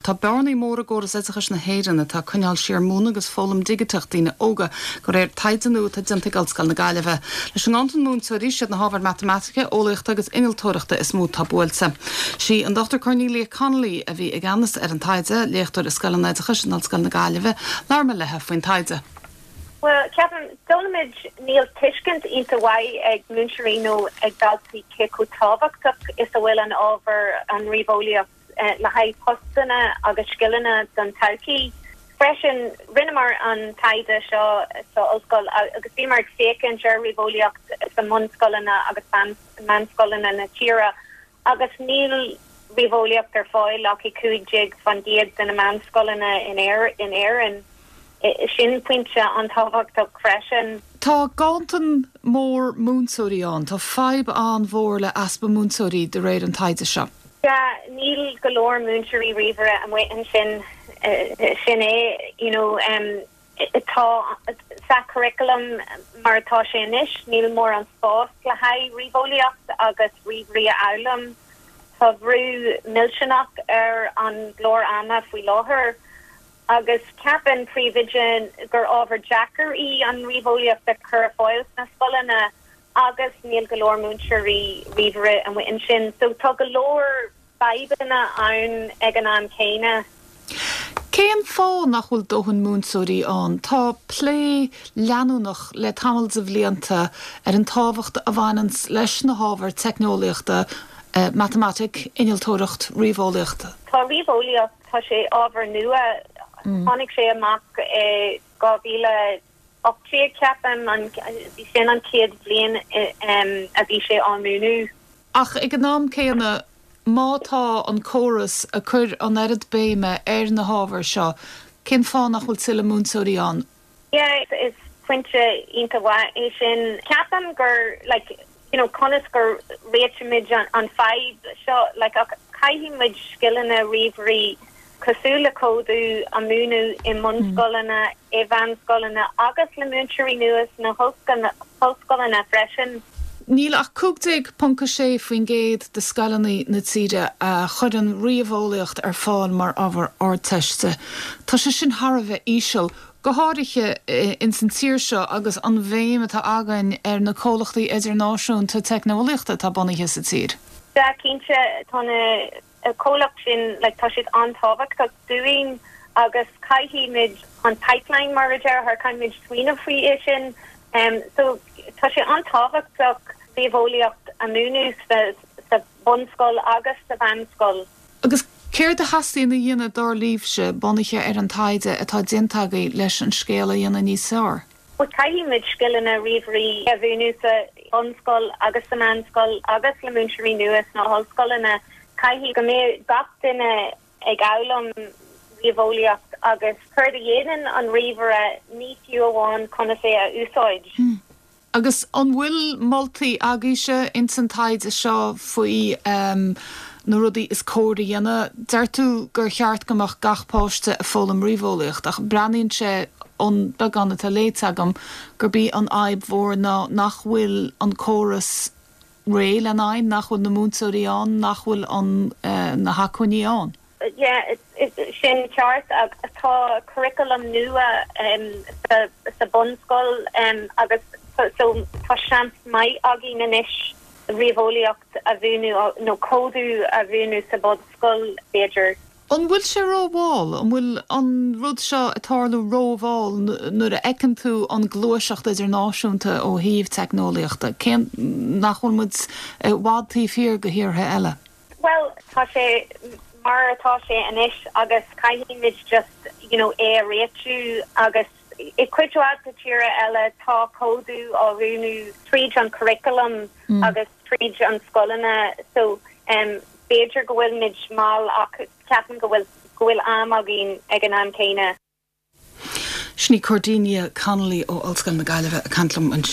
Tá bearnaí móra i gcóras oideachais na hÉireann atá ag coinneáil siar múineadh agus foghlaim digiteach daoine óga, de réir taighde nua atá déanta ag Ollscoil na Gaillimhe. Leis an nganntan múinteoirí, siad na hábhair matamaitice, eolaíochta agus innealtóireachta is mó atá buailte. Sí an Dr Cornelia Connolly a bhí i gceannas ar an taighde, léachtóir i Scoil an Oideachais in Ollscoil na Gaillimhe. Labhair mé léi faoin taighde. Bhuel, ceapaim, d'fhoghlaim muid, níl tuiscint iontach mhaith ag múinteoirí nó ag daltaí cé chomh tábhachtach is a bhfuil an ábhar, an ríomheolaíocht, le haghaidh postanna agus scileanna don todhchaí. Freisin, rinneamar an taighde seo sa ollscoil agus bhíomar ag féachaint ar ríomheolaíocht sa mbunscoileanna agus meánscoileanna na tíre Agus níl ríomheolaíocht ar fáil ach i 15% de na meánscoileanna in Éirinn. Sin pointe an-tábhachtach freisin. Tá ganntan mór múinteoirí ann. Tá fadhb an-mhór le easpa múinteoirí de réir an taighde seo. Yeah, níl go leor múinteoirí ríomhaire amuigh ansin. Sin é, you know. Tá sa curriculum mar atá sé anois, níl mórán spás le haghaidh ríomheolaíocht agus ríomhairí a fhoghlaim. Tá brú millteanach ar an gclár ama faoi láthair agus ceapann príomhoide gur ábhar deacair í an ríomheolaíocht a chur ar fáil sna scoileanna agus níl go leor múinteoirí ríomhaire amuigh ansin. So tá go leor fadhbanna ann ag an am céanna. Cén fáth nach bhfuil dóthain múinteoirí ann? Tá plé leanúnach le tamall de bhlianta ar an tábhacht a bhaineanns leis na hábhair teicneolaíochta, matamaitic, innealtóireacht, ríomheolaíocht. Tá ríomheolaíocht, tá sé ábhar nua, tháinig sé amach i 2018 ceapaim, bhí sin an chéad bhliain a bhí sé á múineadh. Ach ag an am céanna, má tá an córas ag cur an oiread béime ar na hábhair seo, cén fáth nach bhfuil tuilleadh múinteoirí ann? Yeah, is pointe iontach mhaith é sin. Ceapaim gur, like, you know, conas go réitímid an fadhb seo, like, ach caithfidh muid scileanna ríomhairí cosúil le códú a mhúineadh i mbunscoileanna, i mheánscoileanna agus le múinteoirí nua sna hollscoileanna freisin. Níl ach 15.6% de scoileanna na tíre a chuireann ríomheolaíocht ar fáil mar ábhar Ardteiste. Tá sé sin thar a bheith íseal, go háirithe ins an tír seo agus an bhéim atá againn ar na comhlachtaí idirnáisiúnta teicneolaíochta atá bunaithe sa tír. Sea, cinnte, tá na comhlacht sin, like, tá siad an-tábhachtach dúinn agus caithfidh muid an pipeline, mar a déarfá, caithfidh muid smaoineamh faoi é sin. So, tá sé an-tábhachtach ríomheolaíocht a mhúineadh sa, sa bhunscoil agus sa mheánscoil. Agus céard a theastaíonn a dhéanamh dar libhse, bunaithe ar an taighde atá déanta agaibh leis an scéal a dhéanamh níos fearr? Bhuel, caithfidh muid scileanna ríomhairí a mhúineadh sa bhunscoil agus sa mheánscoil agus le múinteoirí nua sna hollscoileanna. Caithfidh go mbeidh gach duine ag foghlaim ríomheolaíocht agus céard a dhéanann an ríomhaire, ní fiú amháin conas é a úsáid. Agus an bhfuil moltaí agaibhse ins an taighde seo faoi na rudaí is cóir a dhéanamh? Deir tú gur cheart go mbeadh gach páiste ag foghlaim ríomheolaíocht ach breathnaíonn sé ón beagán atá léite agam gurb í an fhadhb mhór ná nach bhfuil an córas réidh lena aghaidh, nach bhfuil na múinteoirí ann, nach bhfuil an na hacmhainní ann. Yeah, sin ceart. Tá curriculum nua sa bunscoil agus so tá seans maith againn anois ríomheolaíocht a mhúineadh nó códú a mhúineadh sa bhunscoil b'fhéidir. An bhfuil sé rómhall? An bhfuil an rud seo ag tarlú rómhall nuair a fheiceann tú an gluaiseacht idirnáisiúnta ó thaobh teicneolaíochta? Cén nach bhfuil muid i bhfad taobh thiar de thíortha eile? Bhuel, tá sé mar atá sé anois agus caithfidh muid just, you know, é a réitiú agus i cuid mhaith de tíortha eile tá códú á mhúineadh tríd an curriculum agus tríd an scoileanna so um, b'fhéidir go bhfuil muid mall ach ceapaim go bhfuil go bhfuil am againn ag an am céanna. Sin í Cordelia Connolly ó Ollscoil na Gaillimhe ag caint liom ansin.